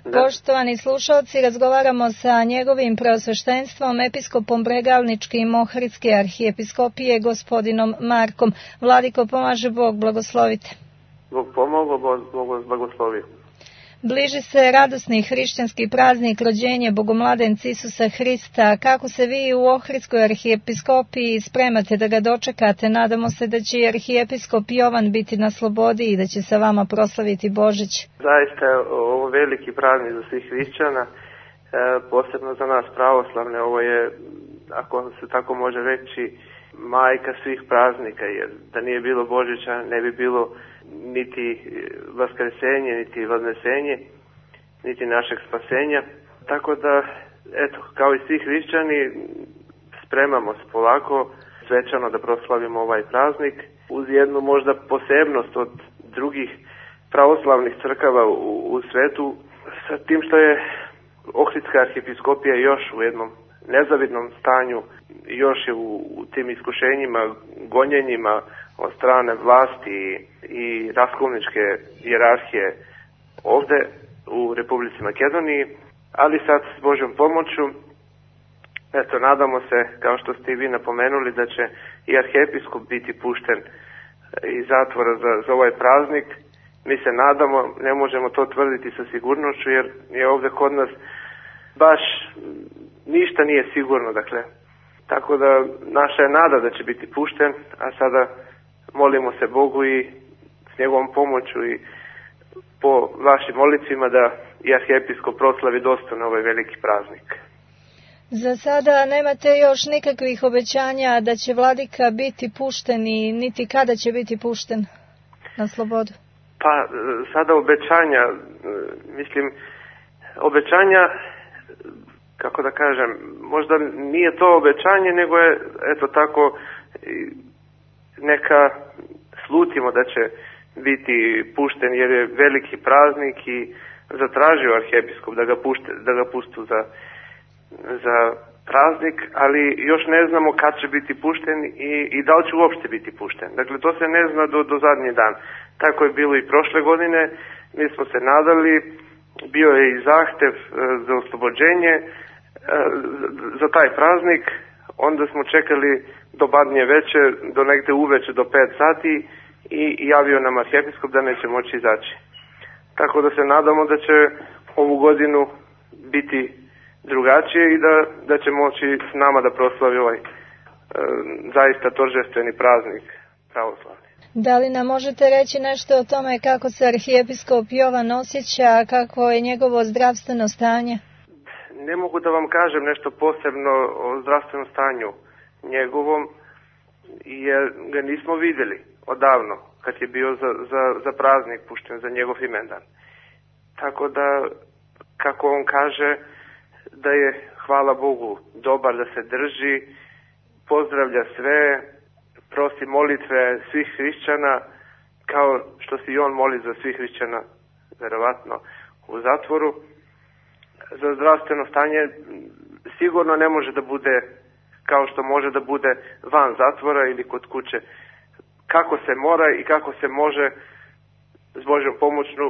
Poštovani slušalci, razgovaramo sa njegovim preosveštenstvom, episkopom Bregalničke i Mohridske arhijepiskopije, gospodinom Markom. Vladiko, pomaže Bog, blagoslovite. Bog pomogao, Bog blagoslovio. Bliži se radosni hrišćanski praznik rođenje Bogomladenca Isusa Hrista. Kako se vi u Ohridskoj arhijepiskopiji spremate da ga dočekate? Nadamo se da će i arhijepiskop Jovan biti na slobodi i da će sa vama proslaviti Božić. Zaista je ovo veliki praznik za svih hrišćana, posebno za nas pravoslavne. Ovo je, ako se tako može reći, majka svih praznika, jer da nije bilo Božića ne bi bilo niti vaskresenje, niti vadnesenje, niti našeg spasenja. Tako da, eto, kao i svi hrišćani, spremamo se polako, svečano da proslavimo ovaj praznik, uz jednu možda posebnost od drugih pravoslavnih crkava u svetu, sa tim što je Ohridska arhijepiskopija još u jednom nezavidnom stanju, još je u tim iskušenjima, gonjenjima od strane vlasti i raskolničke hijerarhije ovde u Republici Makedoniji, ali sad s Božjom pomoću, eto, nadamo se, kao što ste i vi napomenuli, da će i arhijepiskop biti pušten iz zatvora za ovaj praznik. Mi se nadamo, ne možemo to tvrditi sa sigurnošću, jer je ovde kod nas baš ništa nije sigurno, dakle. Tako da naša je nada da će biti pušten, a sada molimo se Bogu i s njegovom pomoću i po vašim molicima da i arhijepiskop proslavi dostojno ovaj veliki praznik. Za sada nemate još nikakvih obećanja da će vladika biti pušten i niti kada će biti pušten na slobodu? Pa sada obećanja, kako da kažem, možda nije to obećanje, nego je, eto tako, neka slutimo da će biti pušten, jer je veliki praznik i zatražio arhijepiskop da ga pustu za praznik, ali još ne znamo kad će biti pušten i da li će uopšte biti pušten. Dakle, to se ne zna do zadnji dan. Tako je bilo i prošle godine, mi smo se nadali, bio je i zahtev za oslobođenje za taj praznik, onda smo čekali do badnje veče, do negde uveče, do 5 sati i javio nam arhijepiskop da neće moći izaći. Tako da se nadamo da će ovu godinu biti drugačije i da će moći s nama da proslavi ovaj zaista торжествeni praznik pravoslavni. Da li nam možete reći nešto o tome kako se arhijepiskop Jovan osjeća, kako je njegovo zdravstveno stanje? Ne mogu da vam kažem nešto posebno o zdravstvenom stanju njegovom, jer ga nismo videli odavno, kad je bio za praznik pušten, za njegov imendan. Tako da, kako on kaže, da je, hvala Bogu, dobar, da se drži, pozdravlja sve, prosi molitve svih hrišćana, kao što se i on moli za svih hrišćana, verovatno, u zatvoru. Za zdravstveno stanje sigurno ne može da bude kao što može da bude van zatvora ili kod kuće. Kako se mora i kako se može, s Božjom pomoću,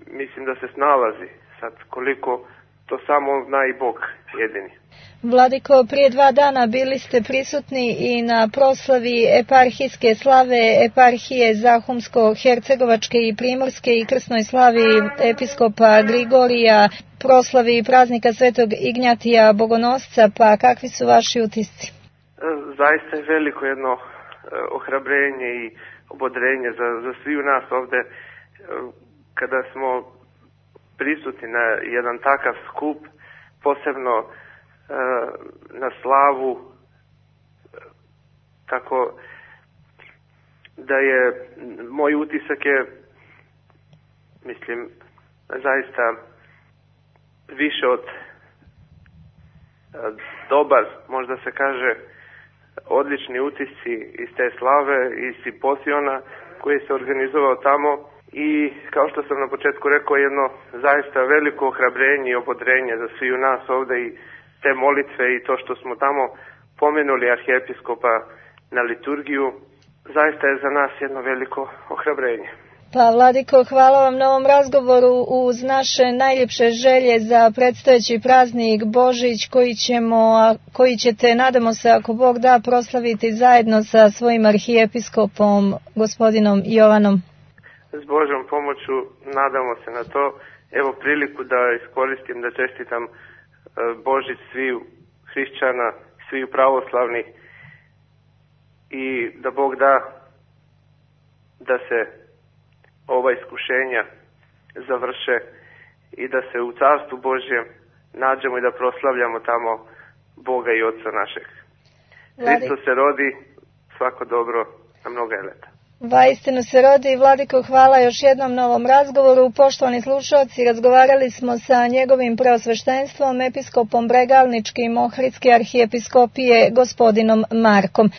mislim da se snalazi. Sad, koliko, to samo zna i Bog jedini. Vladiko, prije 2 dana bili ste prisutni i na proslavi eparhijske slave eparhije Zahumsko-Hercegovačke i Primorske i krsnoj slavi episkopa Grigorija, proslavi praznika Svetog Ignjatija Bogonosca, pa kakvi su vaši utisci? Zaista je veliko jedno ohrabrenje i obodrenje za svi u nas ovde, kada smo prisutni na jedan takav skup, posebno na slavu, tako da je moj utisak je, mislim, zaista više od dobar, možda se kaže, odlični utisci iz te slave, iz simpoziona koji se organizovao tamo i, kao što sam na početku rekao, jedno zaista veliko ohrabrenje i obodrenje za svi u nas ovde i te molitve i to što smo tamo pomenuli arhijepiskopa na liturgiju, zaista je za nas jedno veliko ohrabrenje. Pa Vladiko, hvala vam na ovom razgovoru uz naše najljepše želje za predstojeći praznik Božić koji ćete, nadamo se, ako Bog da, proslaviti zajedno sa svojim arhijepiskopom gospodinom Jovanom. S Božjom pomoću nadamo se na to. Evo priliku da iskoristim da čestitam Božić sviju hrišćana, sviju pravoslavnih i da Bog da da se ova iskušenja završe i da se u Carstvu Božjem nađemo i da proslavljamo tamo Boga i Otca našeg. Hristos se rodi, svako dobro na mnoga leta. Vaistinu se rodi. Vladiko, hvala još jednom na ovom razgovoru. Poštovani slušalci, razgovarali smo sa njegovim preosveštenstvom, episkopom Bregalničke i Ohridske arhijepiskopije, gospodinom Markom.